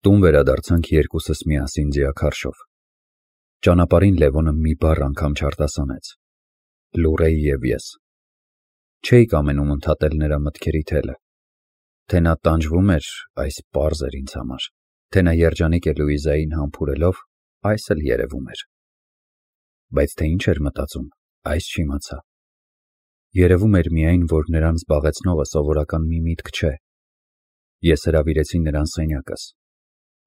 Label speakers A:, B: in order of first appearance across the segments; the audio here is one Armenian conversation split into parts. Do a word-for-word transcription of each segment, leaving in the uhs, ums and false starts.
A: Տուն վերադարձանք երկուսս միասին ձիաքարշով։ Ճանապարհին Լևոնը մի բառ անգամ չարտասանեց։ Լուրեի և ես։ Չէի կամենում ընդհատել նրա մտքերի թելը։ Թե նա տանջվում էր, այս պարզ էր ինձ համար, թե նա երջանիկ է Լուիզային համբուրելով, այս էլ երևում էր։ Բայց թե ինչ էր մտածում, այս չիմացա։ Երևում էր միայն, որ նրան զբաղեցնողը սովորական մի միտք չէ։ Ես հրավիրեցի նրան սենյակս։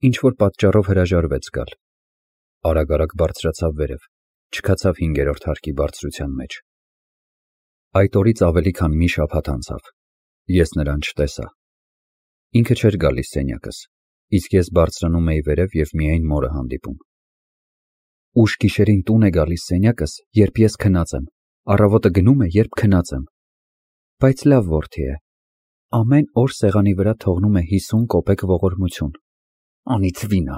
A: Ինչ-որ պատճառով հրաժարվեց գալ։ Արագ-արագ բարձրացավ վերև, չքացավ հինգերորդ հարկի բարձրության մեջ։ Այդ օրից ավելի քան մի շաբաթ անցավ։ Ես նրան չտեսա։ Ինքը չէր գալիս սենյակս, իսկ ես բարձրանում էի վերև և միայն մորը հանդիպում։ Ուշ գիշերին տուն է գալիս սենյակս, երբ ես քնած եմ, առավոտը գնում է, երբ քնած եմ։ Բայց լավ որդի է։ Ամեն օր սեղանի վրա թողնում է հիսուն կոպեկ ողորմություն։ Անիծվի նա։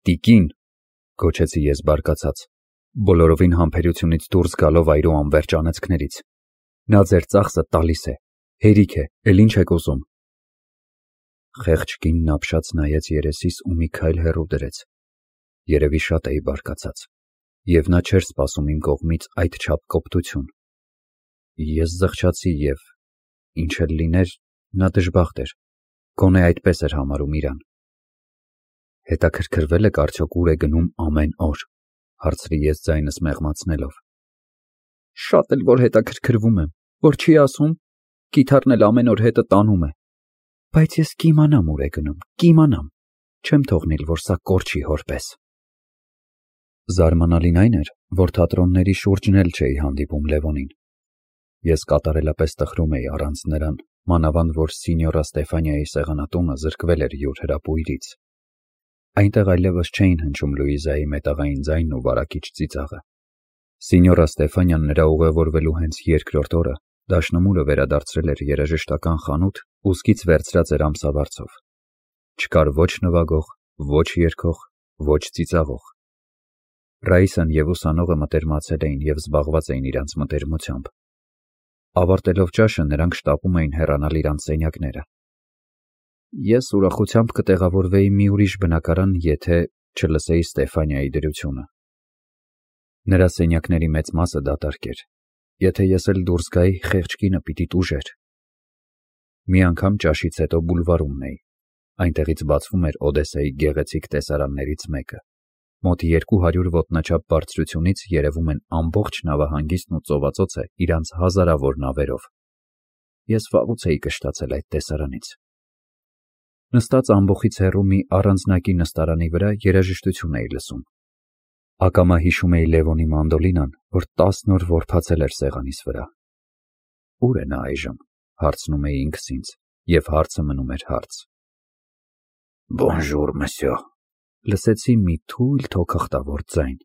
A: Տիկին, գոչեցի ես բարկացած, բոլորովին համբերությունից դուրս գալով այրու անվերջ անեծքներից։ Նա ձեր ծախսը տալիս է, հերիք է, էլ ինչ եք ուզում։ Խեղճ կինն ապշած նայեց երեսիս ու մի քայլ հեռու դրեց։ Երևի շատ էի բարկացած, և նա չէր սպասում իմ կողմից այդչափ կոպտություն։ Ես զղջացի և, ինչ էլ լիներ, նա դժբախտ էր, գոնե այդպես էր համարում իրան։ Հետաքրքրվե՞լ եք արդյոք ուր է գնում ամեն օր, հարցրի ես ձայնս մեղմացնելով։ Շատ էլ որ հետաքրքրվում եմ, որ չի ասում, կիթառն էլ ամեն օր հետը տանում է։ Բայց ես կիմանամ ուր է գնում, կիմանամ, չեմ թողնիլ, որ սա կորչի հոր պես։ Զարմանալին այն էր, որ թատրոնների շուրջն էլ չէի հանդիպում Լևոնին։ Ես կատարելապես տխրում էի առանց նրան, մանավանդ որ Սինյորա Ստեֆանիայի սեղանատունը զրկվել էր յուր հրապույրից։ Այնտեղ այլևս չէին հնչում Լուիզայի մետաղային ձայնն ու վարակիչ ծիծաղը։ Սինյորա Ստեֆանիան նրա ուղևորվելու հենց երկրորդ օրը դաշնամուրը վերադարձրել էր երաժշտական խանութ ու սկից վերցրած էր ամսավարձով։ Չկար ոչ նվագող, ոչ երգող, ոչ ծիծաղող։ Ռաիսան և ուսանողը մտերմացել էին և զբաղված էին իրանց մտերմությամբ։ Ավարտելով ճաշը նրանք շտապում էին հեռանալ իրանց սենյակները։ Ես ուրախությամբ կտեղավորվեի մի ուրիշ բնակարան, եթե չլսեի Ստեֆանիայի դրությունը։ Նրա սենյակների մեծ մասը դատարկ էր։ Եթե ես էլ դուրս գայի, խեղճ կինը պիտի տուժեր։ Մի անգամ ճաշից հետո բուլվարումն էի։ Այնտեղից բացվում էր Օդեսայի գեղեցիկ տեսարաններից մեկը։ Մոտ երկու հարյուր ոտնաչափ բարձրությունից երևում են ամբողջ նավահանգիստն ու ծովածոցը իրանց հազարավոր նավերով։ Ես վաղուց էի կշտացել այդ տեսարանից։ Նստած ամբոխից հեռու մի առանձնակի նստարանի վրա երաժշտություն էի լսում։ Ակամա հիշում էի Լևոնի մանդոլինան, որ տասն օր որբացել էր սեղանիս վրա։ Ո՞ւր է նա այժմ, հարցնում էի ինքս ինձ, և հարցը մնում էր հարց։ Բոնժուր, մսյո, լսեցի մի թույլ թոքախտավոր ձայն։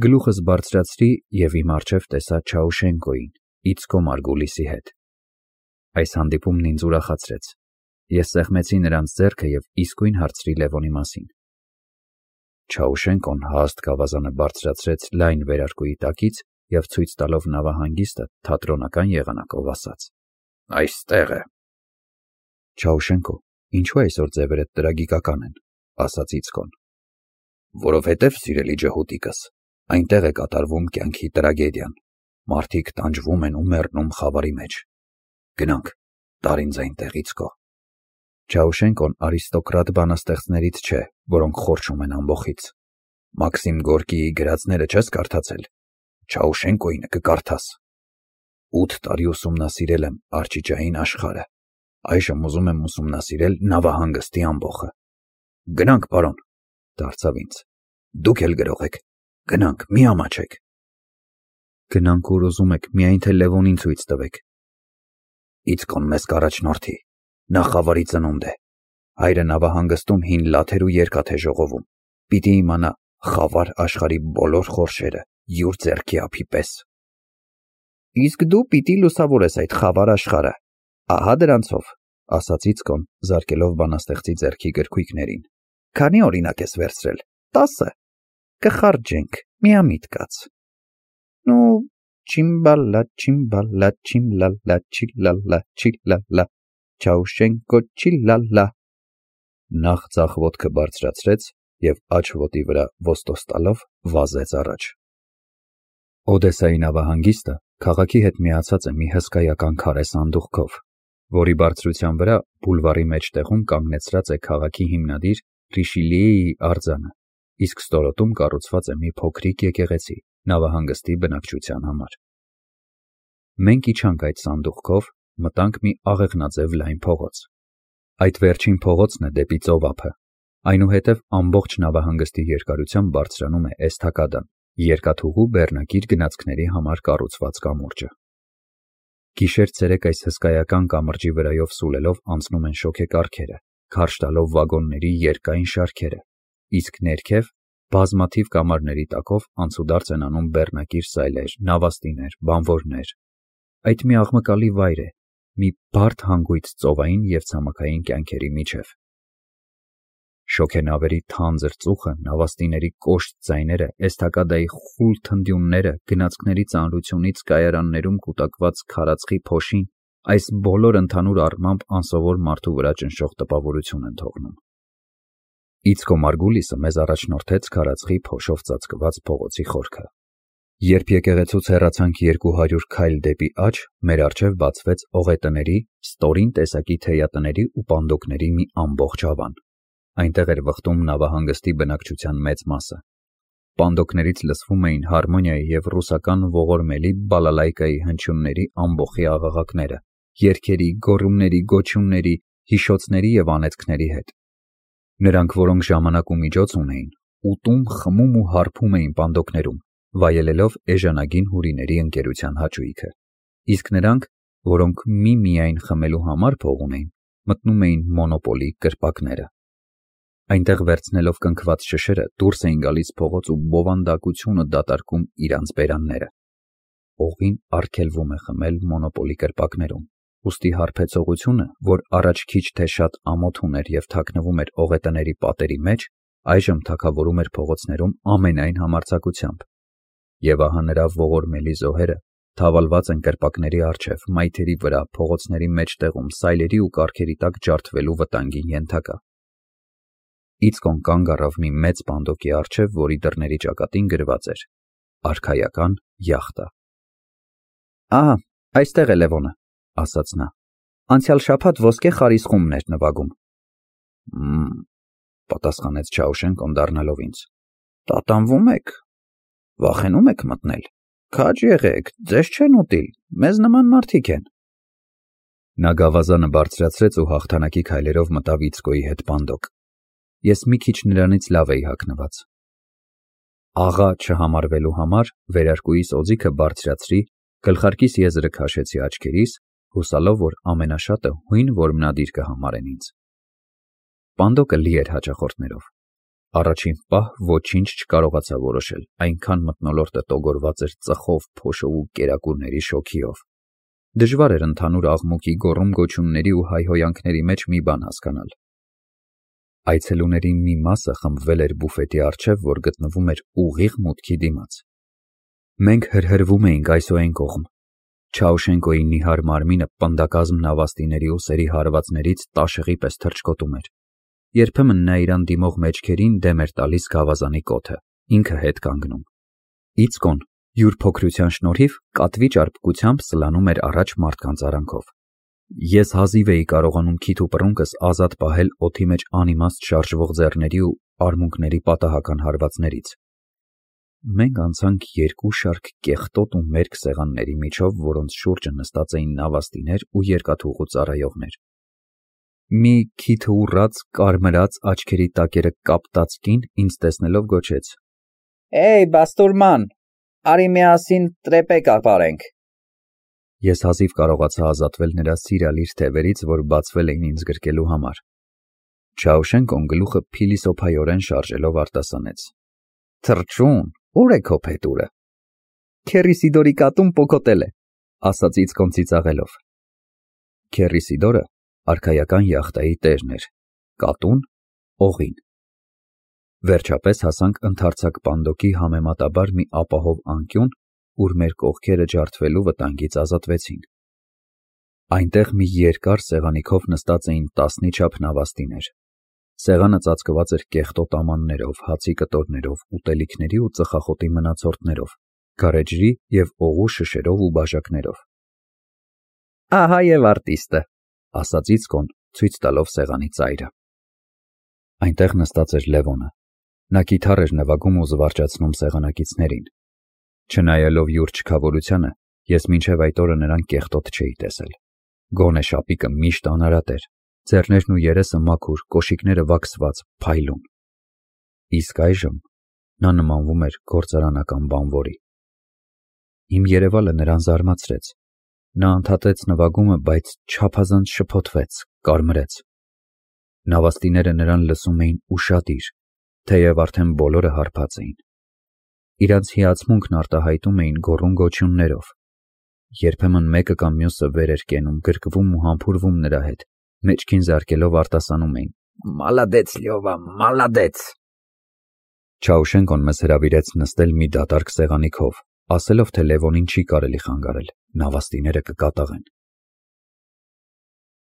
A: Գլուխս բարձրացրի և իմ առջև տեսա Չաուշենկոյին, Իցկո Մարգուլիսի հետ։ Այս հանդիպումն ինձ ուրախացրեց։ Ես սեղմեցի նրանց ձեռքը և իսկույն հարցրի Լևոնի մասին։ Չաուշենկոն հաստ գավազանը բարձրացրեց լայն վերարկուի տակից և ցույց տալով նավահանգիստը թատրոնական եղանակով ասաց. Այստեղ է։ Չաուշենկո, ինչու այսօր ձևերդ տրագիկական են, ասաց Իցկոն։ Որովհետև, սիրելի ջհուդիկս, այնտեղ է կատարվում կյանքի տրագեդիան։ Մարդիկ տանջվում են ու մեռնում խավարի մեջ։ Գնանք, տար ինձ այնտեղ, Իցկո։ Չաուշենկոն արիստոկրատ բանաստեղծներից չէ, որոնք խորչում են ամբոխից։ Մաքսիմ Գորկիի գրածները չես կարդացել։ Չաուշենկոյինը կկարդաս։ Ութ տարի ուսումնասիրել եմ արճիճային աշխարհը։ Այժմ ուզում եմ ուսումնասիրել նավահանգստի ամբոխը։ Գնանք, պարոն, դարձավ ինձ։ Դուք էլ գրող եք։ Գնանք, մի ամաչեք։ Գնանք ուր ուզում եք, միայն թե Լևոնին ցույց տվեք։ Իցկոն մեզ կառաջնորդի։ Նա խավարի ծնունդ է։ Հայրը նավահանգստում հին լաթեր ու երկաթ է ժողովում։ Պիտի իմանա խավար աշխարհի բոլոր խորշերը յուր ձեռքի ափի պես։ Իսկ դու պիտի լուսավորես այդ խավար աշխարհը։ Ահա դրանցով, ասաց Իցկոն, զարկելով բանաստեղծի ձեռքի գրքույկներին։ Քանի օրինակ ես վերցրել։ Տասը։ Կխարճենք, միամիտ կաց։ Նու, չիմբալա, չիմբալա, չիմլալա, չիլալա, չիլալա, Չաուշենկո, չիլալա։ Նախ ձախ ոտքը բարձրացրեց և աջ ոտի վրա ոստոս տալով վազեց առաջ։ Օդեսայի նավահանգիստը քաղաքի հետ միացած է մի հսկայական քարե սանդուղքով, որի բարձրության վրա բուլվարի մեջտեղում կանգնեցրած է քաղաքի հիմնադիր Ռիշիլիեի արձանը, իսկ ստորոտում կառուցված է մի փոքրիկ եկեղեցի նավահանգստի բնակչության համար։ Մենք իջանք այդ սանդուղքով, մտանք մի աղեղնաձև լայն փողոց։ Այդ վերջին փողոցն է դեպի ծովափը, այնուհետև ամբողջ նավահանգստի երկարությամբ բարձրանում է էսթակադան, երկաթուղու բեռնակիր գնացքների համար կառուցված կամուրջը։ Գիշեր-ցերեկ այս հսկայական կամրջի վրայով սուլելով անցնում են շոգեկառքերը, քարշ տալով վագոնների երկայն շարքերը, իսկ ներքև բազմաթիվ կամարների տակով անցուդարձ են անում բեռնակիր սայլեր, նավաստիներ, բանվորներ։ Այդ մի աղմկալի վայր է, մի բարդ հանգույց ծովային և ցամաքային կյանքերի միջև։ Շոգենավերի թանձր ծուխը, նավաստիների կոշտ ձայները, էսթակադայի խուլ թնդյունները, գնացքների ծանրությունից կայարաններում կուտակված քարածխի փոշին, այս բոլորը ընդհանուր առմամբ անսովոր մարդու վրա ճնշող տպավորություն են թողնում։ Իցկո Մարգուլիսը մեզ առաջնորդեց քարածխի փոշով ծածկված փողոցի խորքը։ Երբ եկեղեցուց հեռացանք երկու հարյուր քայլ դեպի աջ, մեր առջև բացվեց օղետների, ստորին տեսակի թեյատների ու պանդոկների մի ամբողջ ավան։ Այնտեղ էր վխտում նավահանգստի բնակչության մեծ մասը։ Պանդոկներից լսվում էին հարմոնիայի և ռուսական ողորմելի բալալայկայի հնչյունների ամբոխի աղաղակները, երգերի, գոռումների, գոչյունների, հիշոցների և անեծքների հետ։ Նրանք, որոնք ժամանակ ու միջոց ունեին, ուտում, խմում ու հարբում էին պանդոկներում, վայելելով էժանագին հուրիների ընկերության հաճույքը, իսկ նրանք, որոնք մի-միայն խմելու համար փող ունեին, մտնում էին մոնոպոլի կրպակները։ Այնտեղ վերցնելով կնքված շշերը դուրս էին գալիս փողոց ու բովանդակությունը դատարկում իրանց բերանները։ Օղին արգելվում է խմել մոնոպոլի կրպակներում, ուստի հարբեցողությունը, որ առաջ քիչ թե շատ ամոթ ուներ և թաքնվում էր օղետների պատերի մեջ, այժմ թագավորում էր փողոցներում ամենայն համարձակությամբ։ Եվ ահա նրա ողորմելի զոհերը թավալված են կրպակների առջև, մայթերի վրա, փողոցների մեջտեղում, սայլերի ու կառքերի տակ ջարդվելու վտանգին ենթակա։ Իցկոն կանգ առավ մի մեծ պանդոկի առջև, որի դռների ճակատին գրված էր «Արքայական յախտա»։ «Ահա, այստեղ է Լևոնը», ասաց նա։ «Անցյալ շաբաթ ոսկե խարիսխումն էր նվագում»։ «Մմ», պատասխանեց Չաուշենկոն դառնալով ինձ։ «Տատանվում եք, վախենում եք մտնել, քաջ եղեք, ձեզ չեն ուտիլ, մեզ նման մարդիկ են»։ Նա գավազանը բարձրացրեց ու հաղթանակի քայլերով մտավ Իցկոյի հետ պանդոկ։ Ես մի քիչ նրանից լավ էի հագնված։ Աղա չհամարվելու համար վերարկուիս օձիքը բարձրացրի, գլխարկիս եզրը քաշեցի աչքերիս, հուսալով, որ ամենաշատը հույն որմնադիր կհամարեն ինձ։ Պանդոկը լի էր հաճախորդներով։ Առաջին պահ ոչինչ չկարողացա որոշել, այնքան մթնոլորտը տոգորված էր ծխով, փոշով ու կերակուրների շոգիով։ Դժվար էր ընդհանուր աղմուկի, գոռում-գոչյունների ու հայհոյանքների մեջ մի բան հասկանալ։ Այցելուների մի մասը խմբվել էր բուֆետի առջև, որ գտնվում էր ուղիղ մուտքի դիմաց։ Մենք հրհրվում էինք այսօ այն կողմ։ Չաուշենկոյի նիհար մարմինը պնդակազմ նավաստիների ու սերի հարվածներից տաշեղի պես թռչկոտում էր։ Երբեմն նա իրան դիմող մեջքերին դեմ էր տալիս գավազանի կոթը, ինքը հետ կանգնում։ Իցկոն, յուր փոքրության շնորհիվ, կատվի ճարպկությամբ սլանում էր առաջ մարդկանց արանքով։ Ես հազիվ էի կարողանում քիթ ու պռունկս ազատ պահել օդի մեջ անիմաստ շարժվող ձեռների ու արմունկների պատահական հարվածներից։ Մենք անցանք երկու շարք կեղտոտ ու մերկ սեղանների միջով, որոնց շուրջը նստած էին նավաստիներ ու երկաթուղու ծառայողներ։ Մի քիթը ուռած, կարմրած, աչքերի տակերը կապտած կին ինձ տեսնելով գոչեց. «Էյ, Բաստուրման, արի միասին տրեպե կապարենք»։ Ես հազիվ կարողացա ազատվել նրա սիրալիր թևերից, որ բացվել էին ինձ գրկելու համար։ Չաուշենկոն գլուխը փիլիսոփայորեն շարժելով արտասանեց. «Թռչուն, ուր է քո փետուրը»։ «Քեռիսիդորի կատուն պոկոտել է», ասաց Իցկոն ծիծաղելով։ Քեռիսիդորը արքայական յախտայի տերն էր, կատուն՝ օղին։ Վերջապես հասանք ընդարձակ պանդոկի համեմատաբար մի ապահով անկյուն, ուր մեր կողքերը ջարդվելու վտանգից ազատվեցին։ Այնտեղ մի երկար սեղանի քով նստած էին տասնի չափ նավաստիներ։ Սեղանը ծածկված էր կեղտոտ ամաններով, հացի կտորներով, ուտելիքների ու ծխախոտի մնացորդներով, գարեջրի և օղու շշերով ու բաժակներով։ Ահա և արտիստը, ասաց Իցկոն, ցույց տալով սեղանի ծայրը։ Այնտեղ նստած էր Լևոնը։ Նա կիթառ էր նվագում ու զվարճացնում սեղանակիցներին։ Չնայելով յուր չքավորությանը, ես մինչև այդ օրը նրան կեղտոտ չէի տեսել։ Գոնե շապիկը միշտ անարատ էր, ձեռներն ու երեսը մաքուր, կոշիկները վաքսված, փայլուն։ Իսկ այժմ նա նմանվում էր գործարանական բանվորի։ Իմ երևալը նրան զարմացրեց։ Նա ընդհատեց նվագումը, բայց չափազանց շփոթվեց, կարմրեց։ Նավաստիները նրան լսում էին ուշադիր, թեև արդեն բոլորը հարբած էին։ Իրանց հիացմունքն արտահայտում էին գոռում-գոչյուններով։ Երբեմն մեկը կամ մյուսը վեր էր կենում, գրկվում ու համբուրվում նրա հետ, մեջքին զարկելով արտասանում էին. «Մալադեց, Լյովա, մալադեց»։ Չաուշենկոն մեզ հրավիրեց նստել մի դատարկ սեղանի քով, ասելով, թե Լևոնին չի կարելի խանգարել, նավաստիները կկատաղեն։